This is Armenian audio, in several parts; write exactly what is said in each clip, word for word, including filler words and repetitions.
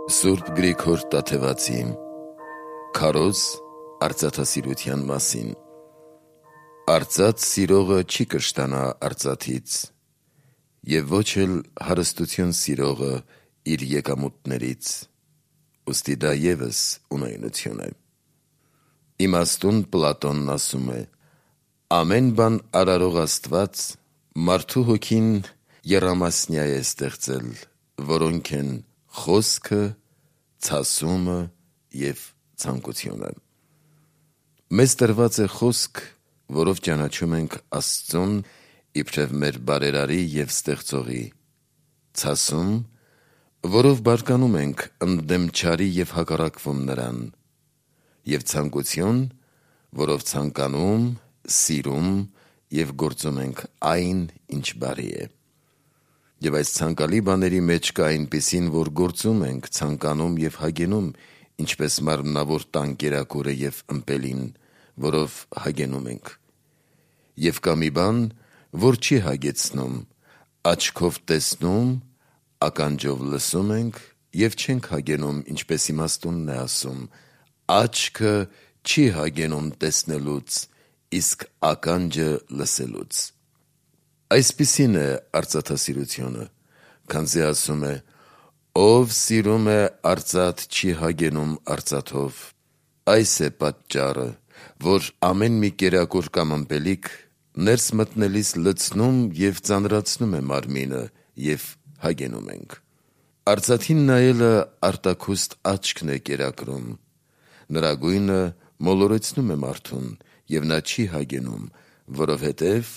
Սուրբ Գրիգոր Տաթևացի Քարոզ արծաթասիրության մասին։ Արծաթ սիրողը չի կշտանա արծաթից, և ոչ էլ հարստություն սիրողը իր եկամուտներից, ուստի դա ևս ունայնություն է։ Իմաստուն Պլատոնն ասում է. ամեն բան արարող Աստված մարդու հոգին եռամասնյա է ստեղծել, որոնք են խոսքը, ցասումը և ցանկությունը։ Մեզ տրված է խոսք, որով ճանաչում ենք Աստծուն իբրև մեր բարերարի և ստեղծողի, ցասում, որով բարկանում ենք ընդդեմ չարի և հակառակվում նրան, և ցանկություն, որով ցանկանում, սիրում և գործում ենք այն, ինչ բարի է։ Եվ այս ցանկալի բաների մեջ կա այնպիսին, որ գործում ենք, ցանկանում և հագենում, ինչպես մարմնավոր տան կերակուրը և ըմպելին, որով հագենում ենք։ Եվ կա մի բան, որ չի հագեցնում, աչքով տեսնում, ականջով լսում ենք և չենք հագենում, ինչպես իմաստունն է ասում. աչքը չի հագենում տեսնելուց, իսկ ականջը լսելուց։ Այսպիսին է արծաթասիրությունը, քանզի ասում է. ով սիրում է արծաթ չի հագենում արծաթով, այս է պատճառը, որ ամեն մի կերակուր կամ ըմպելիք ներս մտնելիս լցնում և ծանրացնում է մարմինը, և հագենում ենք։ Արծաթին նայելը արտաքուստ աչքն է կերակրում, նրա գույնը մոլորեցնում է մարդուն, և նա չի հագենում, որովհետև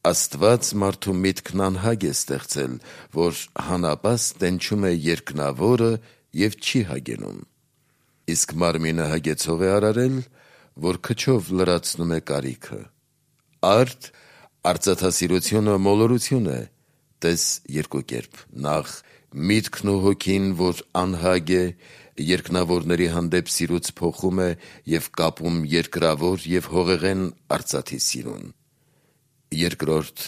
Աստված մարդու միտքն անհագ է ստեղծել, որ հանապաս տենչում է երկնավորը և չի հագենում։ Իսկ մարմինը հագեցող է արարել, որ քչով լրացնում է կարիքը։ Արդ արծաթասիրությունը մոլորություն է, տես երկու կերպ. նախ միտքն ու հոգին, որ անհագ է, երկնավորների հանդեպ սիրուց փոխում է և կապում երկրավոր և հողեղեն արծաթի սիրուն։ Երկրորդ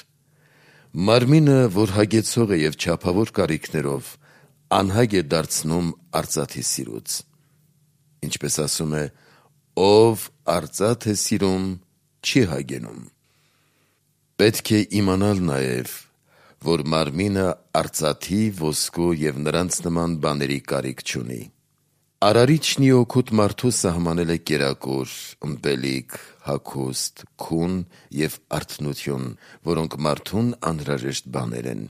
մարմինը, որ հագեցող է և չափավոր կարիքներով, անհագ է դարձնում արծաթի սիրուց։ Ինչպես ասում է. ով արծաթ է սիրում, չի հագենում։ Պետք է իմանալ նաև, որ մարմինը արծաթի, ոսկու և նրանց նման բաների կարիք չունի։ Արարիչն ի օգուտ մարդու սահմանել է կերակուր, ըմպելիք, հագուստ, քուն և արթնություն, որոնք մարդուն անհրաժեշտ բաներ են։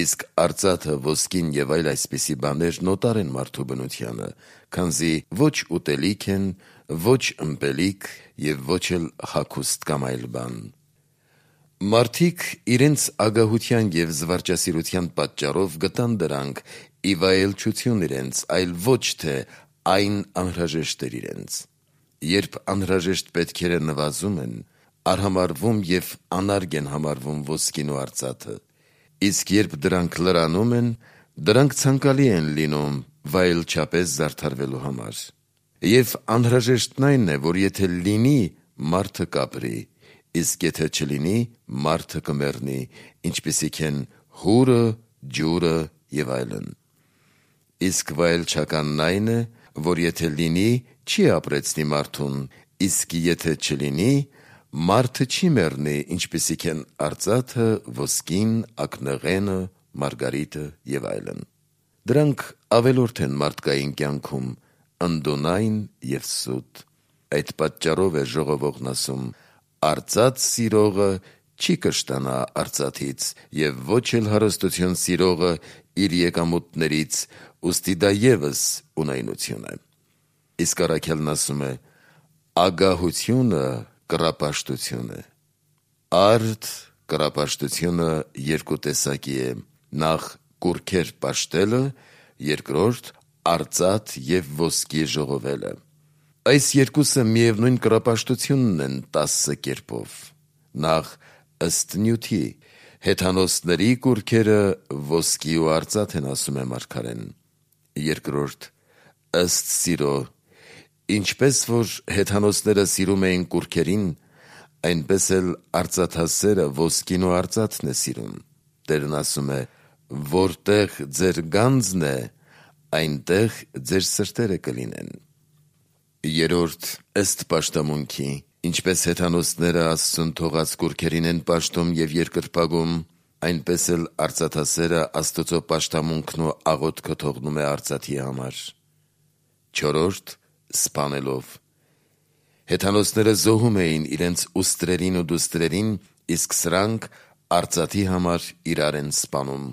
Իսկ արծաթը, ոսկին և այլ այսպիսի բաներ նոտար են մարդու բնությանը, քանզի ոչ ուտելիք են, ոչ ըմպելիք և ոչ էլ հագուստ կամ այլ բան։ Մարդիկ իրենց ագահության և զվարճասիրության պատճառով գտան դրանք ի վայելչություն իրենց, այլ ոչ թե այն անհրաժեշտ էր իրենց։ Երբ անհրաժեշտ պետքերը նվազում են, արհամարհվում և անարգ են համարվում ոսկին ու արծաթը, իսկ երբ դրանք լրանում են, դրանք ցանկալի են լինում վայելչապես զարդարվելու համար։ Եվ անհրաժեշտն այն է, որ եթե լինի, մարդը կապրի, իսկ եթե չլինի, մարդը կմեռնի, ինչպիսիք են հուրը, ջուրը և այլն։ Իսկ վայելչականն այն է, որ եթե լինի, չի ապրեցնի մարդուն, իսկ եթե չլինի, մարդը չի մեռնի, ինչպիսիք են արծաթը, ոսկին, ակնեղենը, մարգարիտը և այլն։ Դրանք ավելորդ են մարդկային կյանքում, ընդունայն և սուտ։ Այդ պատճառով է ժողովողն ասում. արծաթ սիրողը չի կշտանա արծաթից, և ոչ էլ հարստություն սիրողը իր եկամուտներից, ուստի դա ևս ունայնություն է։ Իսկ առաքյալն ասում է. ագահությունը կռապաշտություն է։ Արդ կռապաշտությունը երկու տեսակի է. նախ կուռքեր պաշտելը, երկրորդ արծաթ և ոսկի ժողովելը։ Այս երկուսը միևնույն կռապաշտությունն են տասը կերպով. նախ ըստ նյութի, հեթանոսների կուռքերը ոսկի ու արծաթ են, ասում է մարգարեն։ Երկրորդ ըստ սիրո, ինչպես որ հեթանոսները սիրում էին կուռքերին, այնպես էլ արծաթասերը ոսկին ու արծաթն է սիրում։ Տերն ասում է. որտեղ ձեր գանձն է, այնտեղ ձեր սրտերը կլինեն։ Երորդ, ըստ պաշտամունքի, ինչպես հեթանոսները Աստծուն թողած կուռքերին են պաշտում և երկրպագում, այնպես էլ արծաթասերը Աստծո պաշտամունքն ու աղոթքը թողնում է արծաթի համար։ Չորրորդ, սպանելով։ Հեթանոսները զոհում էին իրենց ուստրերին ու դուստրերին, իսկ սրանք արծաթի համար իրար են սպանում։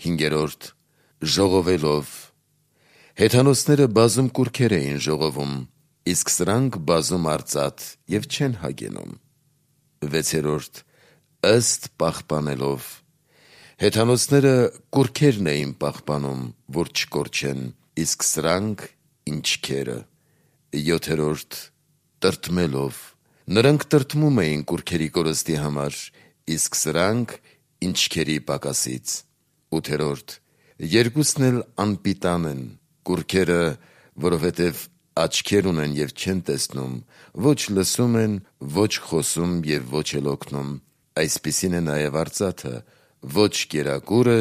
Հինգերորդ, ժողովելով։ Հեթանոսները բազում կուռքեր էին ժողովում, իսկ սրանք բազում արծաթ և չեն հագենում։ Վեցերորդ, ըստ պահպանելով։ Հեթանոսները կուռքերն էին պահպանում, որ չկորչեն, իսկ սրանք ինչքերը։ Յոթերորդ, տրտմելով։ Նրանք տրտմում էին կուռքերի կորստի համար, իսկ սրանք ինչքերի պակասից։ Ութերորդ, երկուսն էլ անպիտան են, կուռքերը, որովհետև աչքեր ունեն և չեն տեսնում, ոչ լսում են, ոչ խոսում և ոչ էլ օգնում, այսպիսին է նաև արծաթը, ոչ կերակուրը,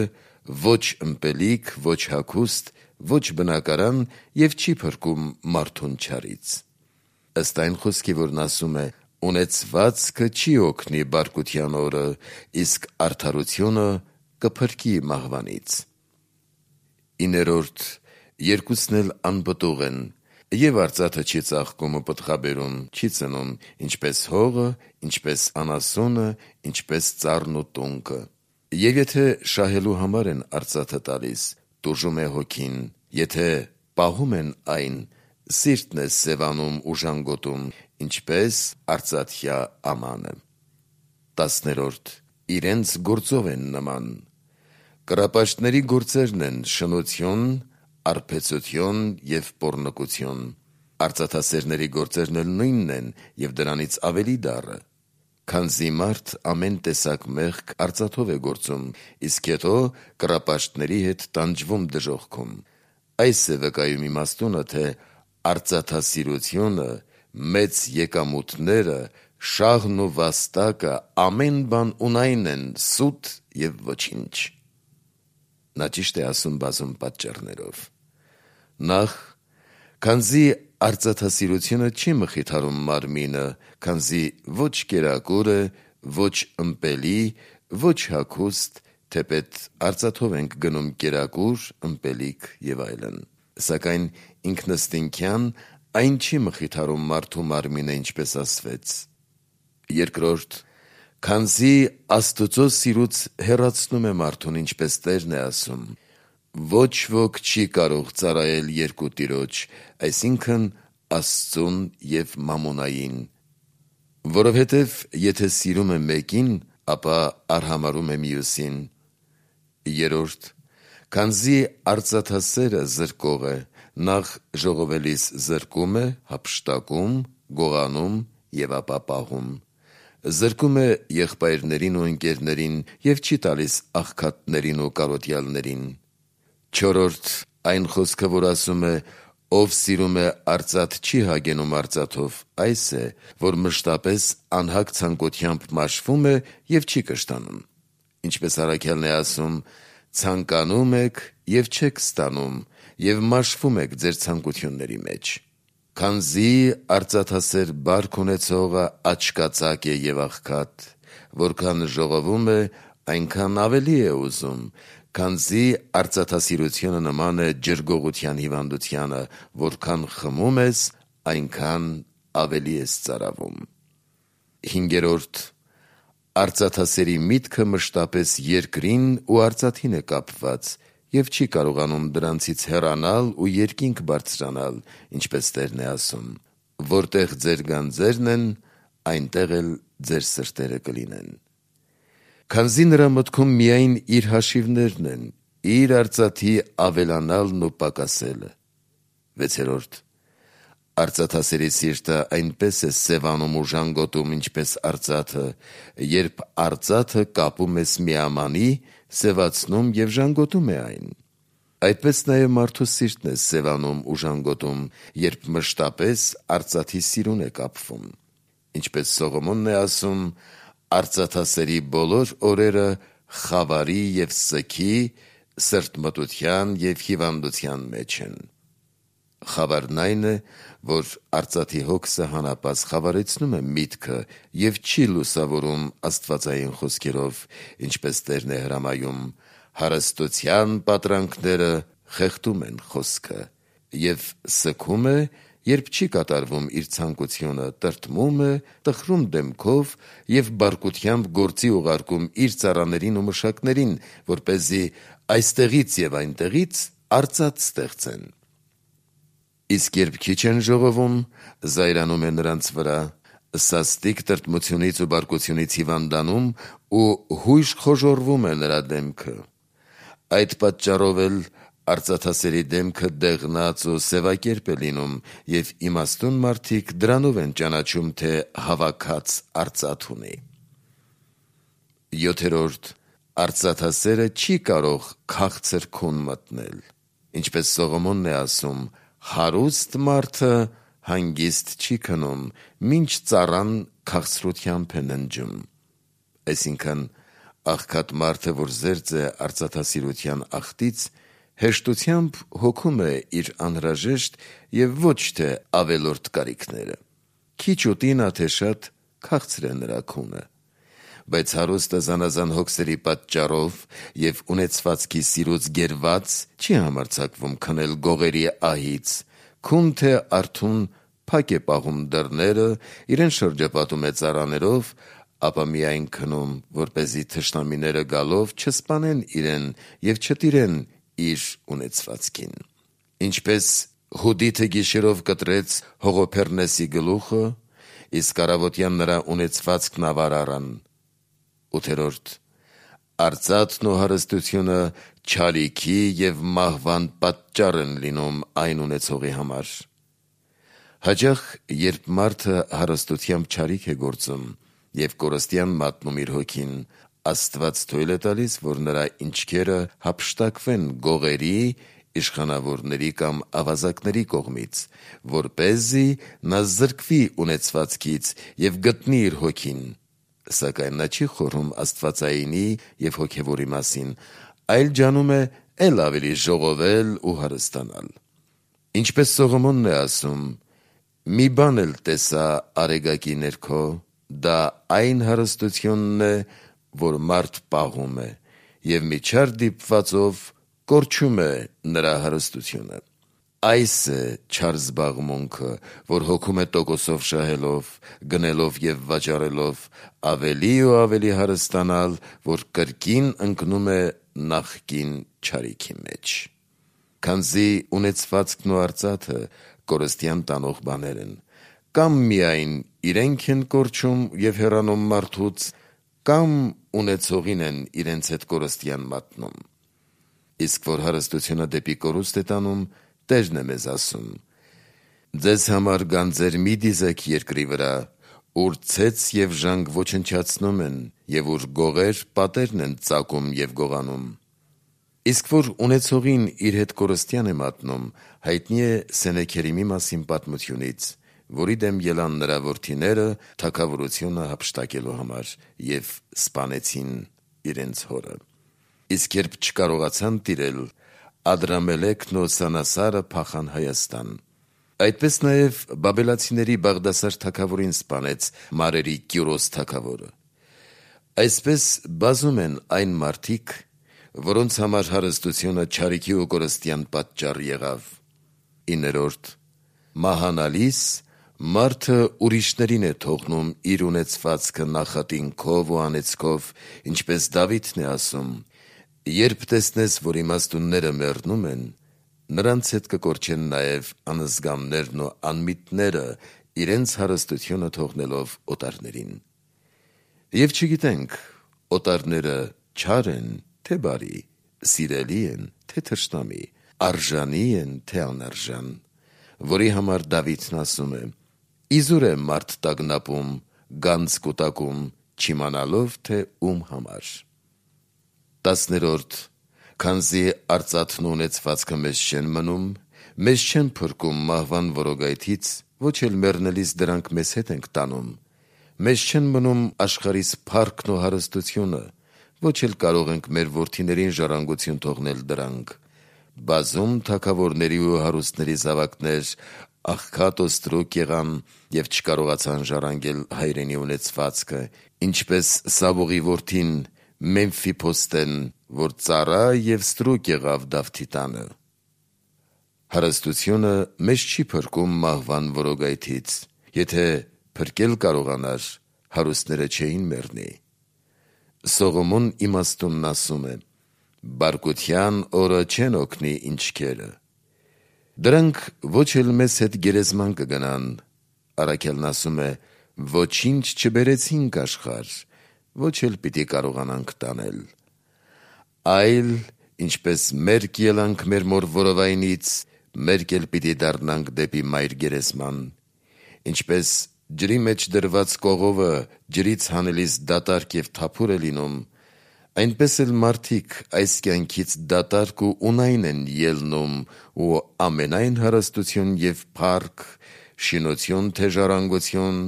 ոչ ըմպելիք, ոչ հագուստ, ոչ բնակարան և չի փրկում մարդուն չարից։ Ըստ այն խոսքի, որն ասում է. «Ունեցվածքը չի օգնի բարկության օրը, իսկ արդարությունը կփրկի մահվանից»։ Իներորդ, երկուսն էլ անպտուղ են, և արծաթը չի ծաղկում ու պտղաբերում, չի ծնում, ինչպես հողը, ինչպես անասունը, ինչպես ծառն ու տունկը։ Եվ եթե շահելու համար են արծաթը տալիս, տուժում է հոգին, եթե պահում են այն, սիրտն է սևանում ու ժանգոտում, ինչպես արծաթյա ամանը։ Տասներորդ, իրենց գործով են նման։ Կռապաշտների գործերն են շնություն, արբեցություն և պոռնկություն։ Արծաթասերների գործերն էլ նույնն են և դրանից ավելի դառը։ Քանզի մարդ ամեն տեսակ մեղք արծաթով է գործում, իսկ հետո կռապաշտների հետ տանջվում դժոխքում։ Այս է վկայում իմաստունը, թե արծաթասիրությունը, մեծ եկամուտները, շաղն ու վաստակը, ամեն բան ունայն են սուտ և ոչինչ։ Նա ճիշտ է ասում բազում պատճառներով։ Նախ, քանզի արծաթասիրությունը չի մխիթարում մարմինը, քանզի ոչ կերակուրը, ոչ ըմպելի, ոչ հագուստ, թեպետ արծաթով ենք գնում կերակուր, ըմպելիք և այլն, սակայն ինքնըստինքյան այն չի մխիթարում մարդու մարմինը, ինչպես ասվեց։ Երկրորդ, քանզի Աստծո սիրուց հեռացնում է մարդուն, ինչպես Տերն է ասում. «Ոչ ոք չի կարող ծառայել երկու տիրոջ», այսինքն Աստծուն և մամոնային։ Որովհետև եթե սիրում է մեկին, ապա արհամարհում է մյուսին։ Երրորդ, քանզի արծաթասերը զրկող է, նախ ժողովելիս զրկում է, հափշտակում, գողանում և ապա պահում։ Զրկում է եղբայրներին ու ընկերներին և չի տալիս աղքատներին ու կարոտյալներին։ Չորրորդ, այն խոսքը, որ ասում է. «Ով սիրում է արծաթ, չի հագենում արծաթով», այս է, որ մշտապես անհագ ցանկությամբ մաշվում է և չի կշտանում։ Ինչպես առաքյալն է ասում. «Ցանկանում եք և չեք ստանում, և մաշվում եք ձեր ցանկությունների մեջ»։ Քանզի արծաթասեր բարք ունեցողը աչկածակ է և աղքատ, որքան ժողովում է, այնքան ավելի է ուզում, քանզի արծաթասիրությունը նման է ջրգողության հիվանդությանը, որքան խմում ես, այնքան ավելի ես ծարավում։ Հինգերորդ, արծաթասերի միտքը մշտապես երկրին ու արծաթին է կապված և չի կարողանում դրանցից հեռանալ ու երկինք բարձրանալ, ինչպես Տերն է ասում. «Որտեղ ձեր գանձերն են, այնտեղ էլ ձեր սրտերը կլինեն»։ Քանզի նրա մտքում միայն իր հաշիվներն են, իր արծաթի ավելանալն ու պակասելը։ Վեցերորդ, արծաթասերի սիրտը այնպես է սևանում ու ժանգոտում, ինչպես արծաթը, երբ արծաթը կապում ես միամանի, սևացնում և ժանգոտում է այն։ Այդպես նաև մարդու սիրտն է սևանում ու ժանգոտում, երբ մշտապես արծաթի սիրուն է կապվում։ Ինչպես Սողոմոնն է ասում. «Արծաթասերի բոլոր օրերը խավարի և սգի, սրտմտության և հիվանդության մեջ են։ Խավարն այն է, որ արծաթի հոգսը հանապած խավարեցնում է միտքը և չի լուսավորում աստվածային խոսքերով, ինչպես Տերն է հրամայում. հարստության պատրանքները խեղդում են խոսքը, և սգում է, երբ չի կատարվում իր ցանկությունը, տրտմում է, տխրում դեմքով և բարկությամբ գործի ուղարկում իր ծառաներին ու մշակներին, որպեսզի այստեղից և այնտեղից արծաթ ստեղծեն։ Իսկ երբ քիչ են ժողովում, զայրանում է նրանց վրա, սաստիկ տրտմությունից ու բարկությունից հիվանդանում ու հույժ խոժոռվում է նրա դեմքը։ Այդ պատճառով էլ արծաթասերի դեմքը դեղնած ու սևակերպ է լինում, և իմաստուն մարդիկ դրանով են ճանաչում, թե հավաքած արծաթ ունի։ Յոթերորդ. Արծաթասերը չի կարող քաղցր քուն մտնել, ինչպես Սողոմոնն է ասում. հարուստ մարդը հանգիստ չի քնում, մինչ ծառան քաղցրությամբ է ննջում։ Այսինքն, աղքատ մարդը, որ զերծ է արծաթասիրության աղտից, հեշտությամբ հոգում է իր անհրաժեշտ և ոչ թե ավելորդ կարիքները։ Քիչ ուտի նա թե շատ, քաղցր է նրա քունը։ Բայց հարուստը զանազան հոգսերի պատճառով և ունեցվածքի սիրուց գերված չի համարձակվում քնել գողերի ահից, քուն թե արթուն փակ է պահում դռները, իրեն շրջապատում է ծառաներով, ապա միայն քնում, որպեսզի թշնամիները գալով չսպանեն իրեն և չտիրեն իր ունեցվածքին։ Ինչպես Հուդիթը գիշերով կտրեց Հողոփեռնեսի գլուխը, իսկ առավոտյան նրա ունեցվածքն ավար առան։ Ութերորդ. Արծաթն ու հարստությունը չարիքի և մահվան պատճառ են լինում այն ունեցողի համար։ Հաճախ, երբ մարդը հարստությամբ չարիք է գործում և կորստյան մատնում իր հոգին, Աստված թույլ է տալիս, որ նրա ինչքերը հափշտակվեն գողերի, իշխանավորների կամ ավազակների կողմից, որպեսզի նա զրկվի ունեցվածքից և գտնի իր հոգին, սակայն նա չի խորհում աստվածայինի և հոգևորի մասին, այլ ջանում է էլ ավելի ժողովել ու հարստանալ։ Ինչպես Սողոմոնն է ասում. «Մի բան էլ տեսա արեգակի ներքո, դա այն հարստությունն է, որ մարդ պաղում է, և մի չար դիպվածով կորչում է նրա հարստությունը։ Այս է չար զբաղմունքը, որ հոգում է տոկոսով շահելով, գնելով և վաճառելով, ավելի ու ավելի հարստանալ, որ կրկին ընկնում է նախկին չարիքի մեջ»։ Քանզի ունեցվածքն ու արծաթը կորստյան տանող բաներ են, կամ միայն իրենք են կորչում և հեռանում մարդուց, կամ ունեցողին են իրենց հետ կորստյան մատնում։ Իսկ որ հարստությունը դեպի կորուստ է տանում, Տերն է մեզ ասում. «Ձեզ համար գանձեր մի դիզեք երկրի վրա, ուր ցեց և ժանգ ոչնչացնում են, և ուր գողեր պատերն են ծակում և գողանում»։ Իսկ որ ունեցողին իր հետ կորստյան է մատնում, հայտնի է Սենեքերիմի մասին պատմությունից, որի դեմ ելան նրա որդիները թագավորությունը հափշտակելու համար և սպանեցին իրենց հորը։ Իսկ երբ չկարողացան տիրել, Ադրամելեքն ու Սանասարը փախան Հայաստան։ Այդպես նաև բաբելացիների Բաղդասար թագավորին սպանեց մարերի Կյուրոս թագավորը։ Այսպես բազում են այն մարդիկ, որոնց համար հարստությունը չարիքի ու կորստյան պատճառ եղավ։ Իներորդ. Մահանալիս մարդը ուրիշներին է թողնում իր ունեցվածքը նախատինքով ու անեծքով, ինչպես Դավիթն է ասում. «Երբ տեսնես, որ իմաստունները մեռնում են, նրանց հետ կկորչեն նաև անզգամներն ու անմիտները, իրենց հարստությունը թողնելով օտարներին»։ Եվ չգիտենք օտարները չար են, թե բարի, սիրելի են, թե թշնամի, արժանի են, թե անարժան, որի համար Դավիթն ասում է. «Իզուր է մարդ տագնապում, գանձ կուտակում, չիմանալով, թե ում համար»։ Տասներորդ. Քանզի արծաթն ու ունեցվածքը մեզ չեն մնում, մեզ չեն փրկում մահվան որոգայթից, ոչ էլ մեռնելիս դրանք մեզ հետ ենք տանում, մեզ չեն մնում աշխարհիս փառքն ու հարստությունը, ոչ էլ կարող ենք մեր որդիներին ժառանգություն թողնել դրանք։ Բազում թագավորների ու հարուստների զավակներ աղքատ օստրուկ եղան և չկարողացան ժառանգել հայրենի ունեցվածքը, ինչպես Սավուղի որդին Մեմֆիփոստեն, որ ծառա և ստրուկ եղավ Դավթի տանը։ Հարստությունը մեզ չի փրկում մահվան որոգայթից։ Եթե փրկել կարողանար, հարուստները չէին մեռնի։ Սողոմոն իմաստունն ասում է. «Բարկության օրը չեն օգնի ինչքերը»։ Դրանք ոչ էլ մեզ հետ գերեզման կգնան։ Առաքյալն ասում է. «Ոչինչ չբերեցինք աշխարհ, ոչ էլ պիտի կարողանանք տանել»։ Այլ, ինչպես մերկ ելանք մեր մոր որովայնից, մերկ էլ պիտի դառնանք դեպի մայր գերեզման։ Ինչպես ջրի մեջ դրված կողովը ջրից հանելիս դատարկ և թափուր է լինում, այնպես էլ մարդիկ այս կյանքից դատարկ ու ունայն են ելնում ու ամենայն հարստություն և փառք, շինություն թե ժառանգություն,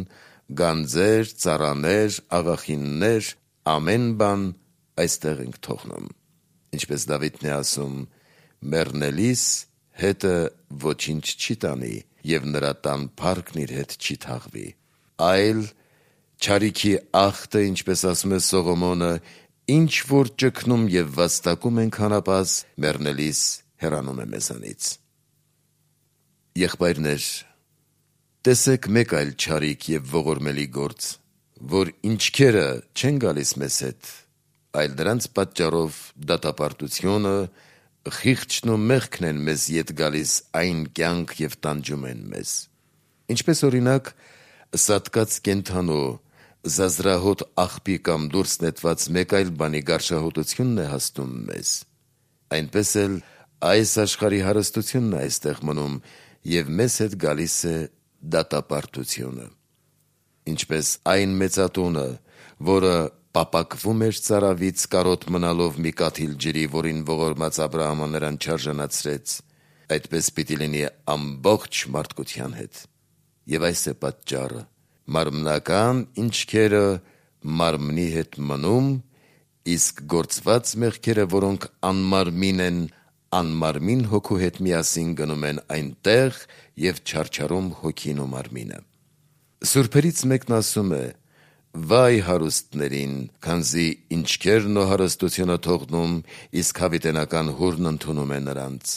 գանձեր, ծառաներ, աղախիններ, ամեն բան այստեղ ենք թողնում։ Ինչպես Դավիթն է ասում. «Մեռնելիս հետը ոչինչ չի տանի, և նրա տան փառքն իր հետ չի թաղվի»։ Այլ չարիքի ախտը, ինչպես ասում է Սողոմոնը, ինչ որ ճգնում և վաստակում ենք հանապազ, մեռնելիս հեռանում է մեզանից։ Եղբայրներ, տեսեք մեկ այլ չարիք և ողորմելի գործ, որ ինչքերը չեն գալիս մեզ հետ, այլ դրանց պատճառով դատապարտությունը, խիղճն ու մեղքն են մեզ ետ գալիս այն կյանք և տանջում են մեզ։ Ինչպես օրինակ սատկած կենդանու, զազրահոտ աղբի կամ դուրս նետված մեկ այլ բանի գարշահոտությունն է հասնում մեզ, այնպես էլ այս աշխարհի հարստությունն է այստեղ մնում և մեզ հետ գալիս է դատապարտությունը։ Ինչպես այն մեծատունը, որը պապակվում էր ծարավից կարոտ մնալով մի կաթիլ ջրի, որին ողորմած Աբրահամը նրան չարժանացրեց, այդպես պիտի լինի ամբողջ մարդկության հետ։ Եվ այս է պատճառը. մարմնական ինչքերը մարմնի հետ մնում, իսկ գործված մեղքերը, որոնք անմարմին են, անմարմին հոգու հետ միասին գնում են այնտեղ և չարչարում հոգին ու մարմինը։ Սուրբերից մեկն ասում է. «Վայ հարուստներին, քանզի ինչքերն ու հարստությունը թողնում, իսկ հավիտենական հուրն ընդունում է նրանց»։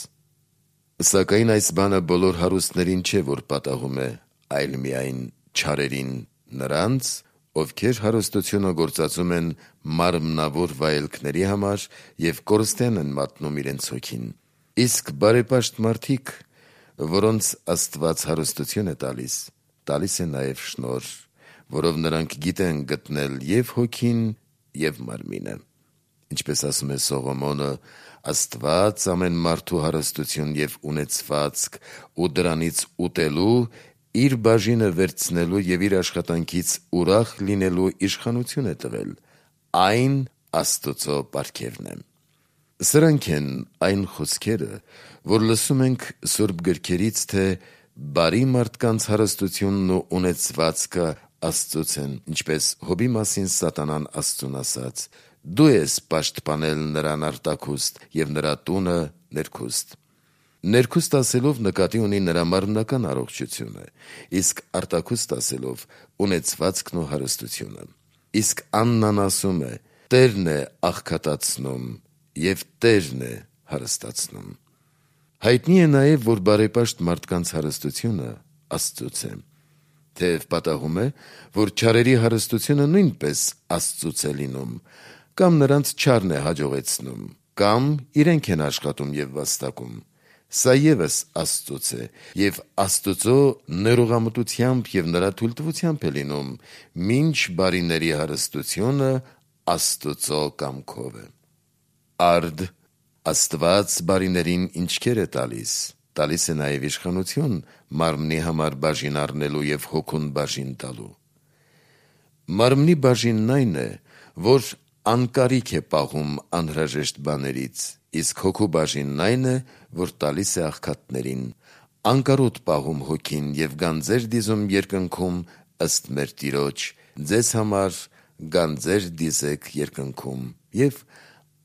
Սակայն այս բանը բոլոր հարուստներին չէ, որ պատահում է, այլ միայն չարերին, նրանց, ովքեր հարստությունը գործածում են մարմնավոր վայելքների համար և կորստեն են մատնում իրենց հոգին։ Իսկ բարեպաշտ մարդիկ, որոնց Աստված հարստություն է տալիս, տալիս է նաև շնորհ, որով նրանք գիտեն գտնել և հոգին, և մարմինը։ Ինչպես ասում է Սողոմոնը. «Աստված ամեն մարդու հարստություն և ունեցվածք ու դրանից ուտելու, իր բաժինը վերցնելու և իր աշխատանքից ուրախ լինելու իշխանություն է տվել, այն Աստուծո պարգևն է»։ Սրանք են այն խոսքերը, որ լսում ենք Սուրբ գրքերից, թե բարի մարդկանց հարստությունն ու ունեցվածքը Աստծուց են, ինչպես Հոբի մասին սատանան Աստծուն ասաց. «Դու ես պաշտպանել նրան արտաքուստ և նրա տունը ներքուստ»։ Ներքուստ ասելով նկատի ունի նրա մարմնական առողջությունը, իսկ արտաքուստ ասելով ունեցվածքն ու հարստությունը։ Իսկ Աննան ասում է. «Տերն է աղքատացնում և Տերն է հարստացնում»։ Հայտնի է նաև, որ բարեպաշտ մարդկանց հարստությունը Աստծուց է։ Թեև պատահում է, որ չարերի հարստությունը նույնպես Աստծուց է լինում, կամ նրանց չարն է հաջողեցնում, կամ իրենք են աշխատում և վաստակում, սա ևս Աստծուց է և Աստուծո ներողամտությամբ և նրա թույլտվությամբ է լինում, մինչ բարիների հարստությունը Աստուծո կամքով է։ Արդ Աստված բարիներին ինչքեր է տալիս, տալիս է նաև իշխանություն մարմնի համար բաժին առնելու և հոգուն բաժին տալու։ Մարմնի բաժինն այն է, որ անկարիք է պահում անհրաժեշտ բաներից, իսկ հոգու բաժինն այն է, որ տալիս է աղքատներին, անկարոտ պահում հոգին և գանձեր դիզում երկնքում ըստ մեր Տիրոջ, ձեզ համար գանձեր դիզեք երկնքում և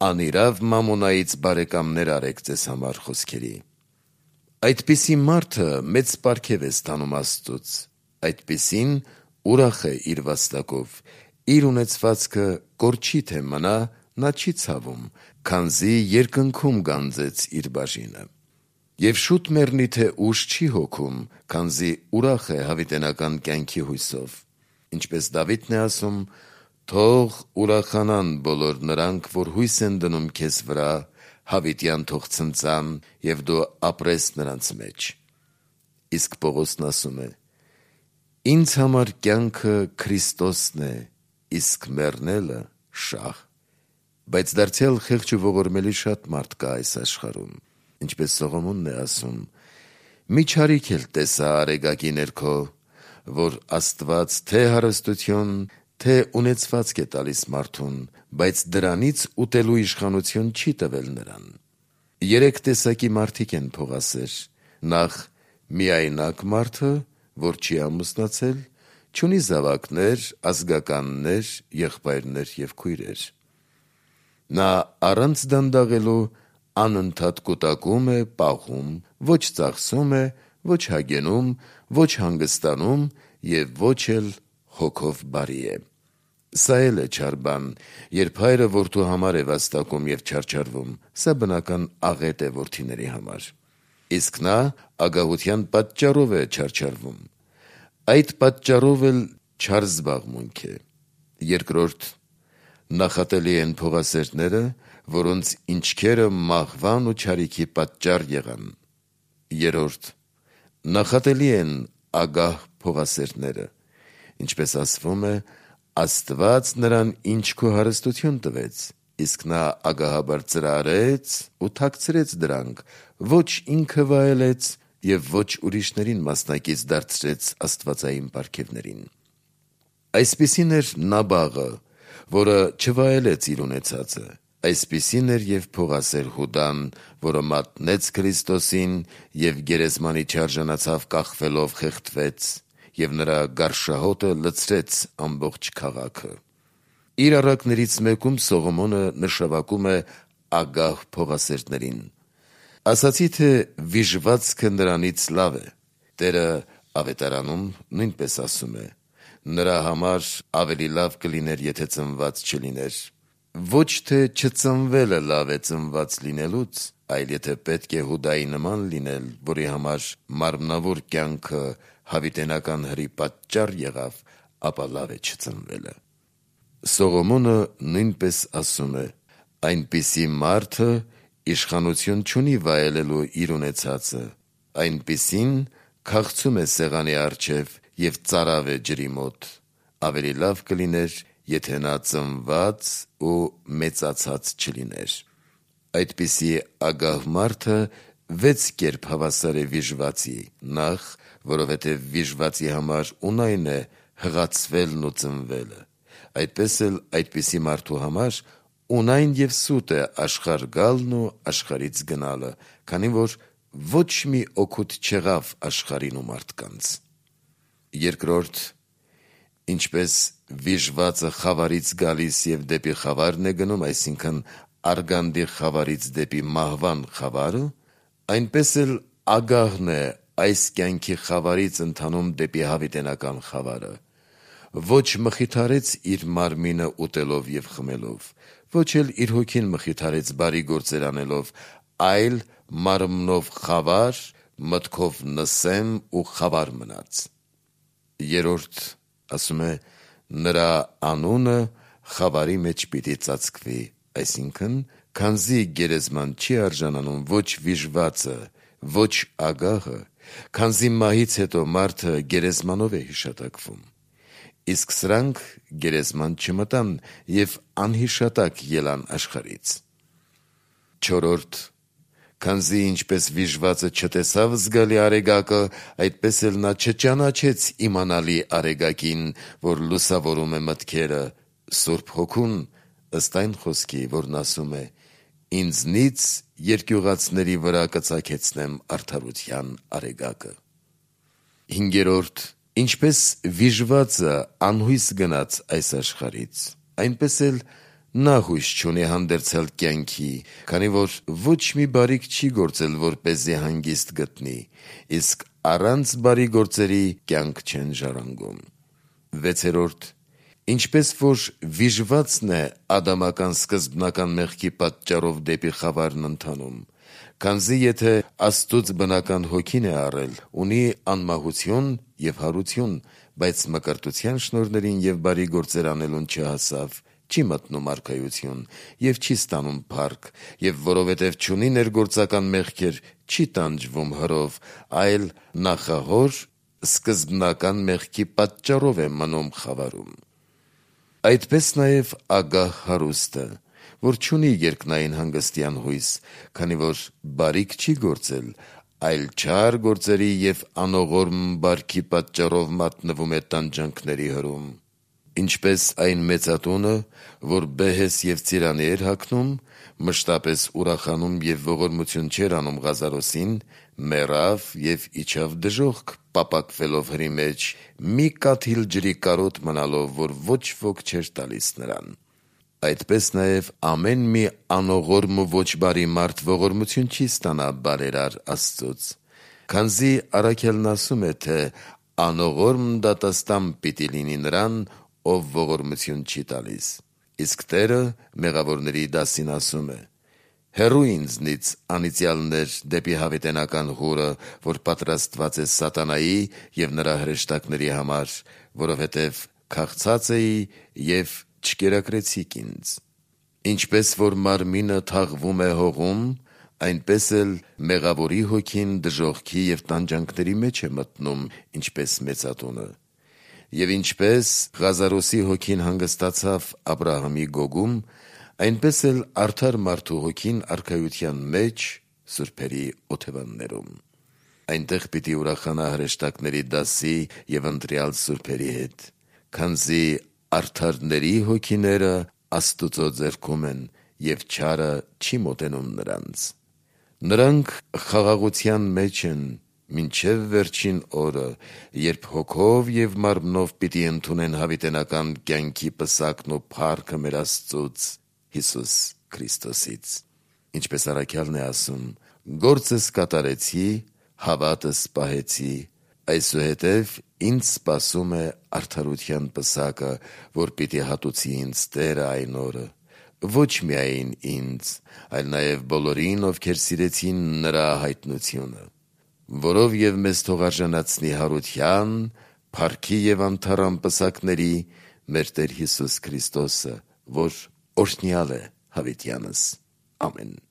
անիրավ մամոնայից բարեկամներ արեք ձեզ համար խոսքերի։ Այդպիսի մարդը մեծ պարգև է ստանում Աստծուց, այդպիսին ուրախ է իր վաստակով, իր ունեցվածքը կորչի թե մնա, նա չի ցավում, քանզի երկնքում գանձեց իր բաժինը։ Եվ շուտ մեռնի թե ուշ չի հոգում, քանզի ուրախ է հավիտենական կյանքի հույսով։ Ինչպես Դավիթն է ասում. «Թող ուրախանան բոլոր նրանք, որ հույս են դնում քեզ վրա, հավիտյան թող ցնծան, և դու ապրես նրանց մեջ»։ Իսկ Պողոսն ասում է. «Ինձ համար կյանքը Քրիստոսն է, իսկ մեռնելը շահ»։ Բայց դարձյալ խեղճ ու ողորմելի շատ մարդ կա այս աշխարհում, ինչպես Սողոմոնն է ասում. «Մի չարիք էլ տեսա արեգակի ներքո, որ Աստված թե հարստություն, թե ունեցվածք է տալիս մարդուն, բայց դրանից ուտելու իշխանություն չի տվել նրան»։ Երեք տեսակի մարդիկ են փողասեր. նախ միայնակ մարդը, որ չի ամուսնացել, չունի զավակներ, ազգականներ, եղբայրներ և քույրեր։ Նա առանց դանդաղելու անընդհատ կուտակում է, պաղում, ոչ ծախսում է, ոչ հագենում, ոչ հանգստանում և ոչ էլ հոգով բարի է։ Սա էլ է չար բան, երբ հայրը որդու համար է վաստակում և չարչարվում, սա բնական աղետ է որդիների համար։ Իսկ նա ագահության պատճառով է չարչարվում։ Այդ պատճառով էլ չար զբաղմունք է։ Երկրորդ, նախատելի են փողասերները, որոնց ինչքերը մահվան ու չարիքի պատճառ եղան։ Երրորդ, նախատելի են ագահ փողասերները, ինչպես ասվում է. «Աստված նրան ինչքո հարստություն տվեց, իսկ նա ագահաբար ծրարեց ու թաքցրեց դրանք, ոչ ինքը վայելեց և ոչ ուրիշներին մասնակից դարձրեց աստվածային պարգևներին»։ Այսպիսին էր Նաբաղը, որը չվայելեց իր ունեցածը, այսպիսին էր և փողասեր Հուդան, որը մատնեց Քրիստոսին և գերեզմանի չարժանացավ կախվելով խեղդվեց, և նրա գարշահոտը լցրեց ամբողջ քաղաքը։ Իր առակներից մեկում Սողոմոնը նշավակում է ագահ փողասերներին։ Ասացի, թե վիժվածքը նրանից լավ է։ Տերը Ավետարանում նույնպես ասում է. «Նրա համար ավելի լավ կլիներ, եթե ծնված չլիներ»։ Ոչ թե չծնվելը լավ է ծնված լինելուց, այլ եթե պետք է Հուդայի նման լինել, որի համար մարմնավոր կյանքը հավիտենական հրի պատճառ եղավ, ապա լավ է չծնվելը։ Սողոմոնը նույնպես ասում է. «Այնպիսի մարդը իշխանություն չունի վայելելու իր ունեցածը, այնպիսին քաղցում է սեղանի առջև և ծարավ է ջրի մոտ, ավելի լավ կլիներ, եթե նա ծնված ու մեծացած չլիներ»։ Այդպիսի ագահ մարդը վեց կերպ հավասար է վիժվածի. նախ, որովհետև վիժվածի համար ունայն է հղացվելն ու ծնվելը, այդպես էլ այդպիսի մարդու համար ունայն և սուտ է աշխարհ գալն ու աշխարհից գնալը, քանի որ ոչ մի օգուտ չեղավ աշխարհին ու մարդկանց։ Երկրորդ, ինչպես վիժվածը խավարից գալիս և դեպի խավարն է գնում, այսինքն արգանդի խավարից դեպի մահվան խավարը, այնպես էլ ագահն է այս կյանքի խավարից ընթանում դեպի հավիտենական խավարը։ Ոչ մխիթարեց իր մարմինը ուտելով և խմելով, ոչ էլ իր հոգին մխիթարեց բարի գործեր անելով, այլ մարմնով խավար, մտքով նսեմ ու խավար մնաց։ Երրորդ, ասում է. «Նրա անունը խավարի մեջ պիտի ծածկվի», այսինքն, քանզի գերեզման չի արժանանում ոչ վիժվածը, ոչ ագահը, քանզի մահից հետո մարդը գերեզմանով է հիշատակվում։ Իսկ սրանք գերեզման չմտան և անհիշատակ ելան աշխարհից։ Չորրորդ, քանզի ինչպես վիժվածը չտեսավ զգալի արեգակը, այդպես էլ նա չճանաչեց իմանալի արեգակին, որ լուսավորում է մտքերը, Սուրբ Հոգուն, ըստ այն խոսքի, որն ասում է. «Ինձնից երկյուղածների վրա կծագեցնեմ արդարության արեգակը»։ Հինգերորդ, Ինչպես վիժվածը անհույս գնաց այս աշխարհից, այնպես էլ նա հույս չունի հանդերձյալ կյանքի, քանի որ ոչ մի բարիք չի գործել, որպեսզի հանգիստ գտնի, իսկ առանց բարի գործերի կյանք չեն ժառանգում։ Վեցերորդ. Ինչպես որ վիժվածն է ադամական սկզբնական մեղքի պատճառով դեպի խավարն ընթանում, քանզի եթե Աստծուց բնական հոգին է առել, ունի անմահություն և հարություն, բայց մկրտության շնորհներին և բարի գործեր անելուն չհասավ, չի մտնում արքայություն և չի ստանում փառք, և որովհետև չունի ներգործական մեղքեր, չի տանջվում հրով, այլ նախահոր սկզբնական մեղքի պատճառով է մնում խավարում։ Այդպես նաև ագահ հարուստը, որ չունի երկնային հանգստյան հույս, քանի որ բարիք չի գործել, այլ չար գործերի և անողորմ բարքի պատճառով մատնվում է տանջանքների հրում։ Ինչպես այն մեծատունը, որ բեհես և ծիրանի էր հագնում, մշտապես ուրախանում և ողորմություն չէր անում Ղազարոսին, մեռավ և իջավ դժոխք պապակվելով հրի մեջ, մի կաթիլ ջրի կարոտ մնալով, որ ոչ ոք չէր տալիս նրան։ Այդպես նաև ամեն մի անողորմ ու ոչ բարի մարդ ողորմություն չի ստանա բարերար Աստծուց, քանզի առաքյալն ասում է, թե անողորմ դատաստան պիտի լինի նրան, ով ողորմություն չի տալիս։ Իսկ Տերը մեղավորների դասին ասում է. «Հեռու ինձնից անիծյալներ դեպի հավիտենական հուրը, որ պատրաստված է սատանայի և նրա հրեշտակների համար, որովհետև քաղցած էի և չկերակրեցիք ինձ»։ Ինչպես որ մարմինը թաղվում է հողում, այնպես էլ մեղավորի հոգին դժոխքի և տանջանքների մեջ է մտնում, ինչպես մեծատունը։ Եվ ինչպես Ղազարոսի հոգին հանգստացավ Աբրահամի գոգում, այնպես էլ արդար մարդու հոգին արքայության մեջ սուրբերի օթևաններում։ Այնտեղ պիտի ուրախանա հրեշտակների դասի և ընտրյալ սուրբերի հետ, քանզի արդարների հոգիները Աստուծո ձեռքում են, և չարը չի մոտենում նրանց։ Նրանք խաղաղության մեջ են մինչև վերջին օրը, երբ հոգով և մարմնով պիտի ընդունեն հավիտենական կյանքի պսակն ու փառքը մեր Աստծուց՝ Հիսուս Քրիստոսից։ Ինչպես առաքյալն է ասում. «Գործս կատարեցի, հավատս պահեցի, այսուհետև ինձ սպասում է արդարության պսակը, որ պիտի հատուցի ինձ Տերը այն օրը, ոչ միայն ինձ, այլ նաև բոլորին, ովքեր սիրեցին նրա հայտնությունը, որով և մեզ թող արժանացնի հարության, փառքի և անթառամ պսակների մեր Տեր Հիսուս Քրիստոսը, որ օրհնյալ է հավիտյանս։ Ամեն»։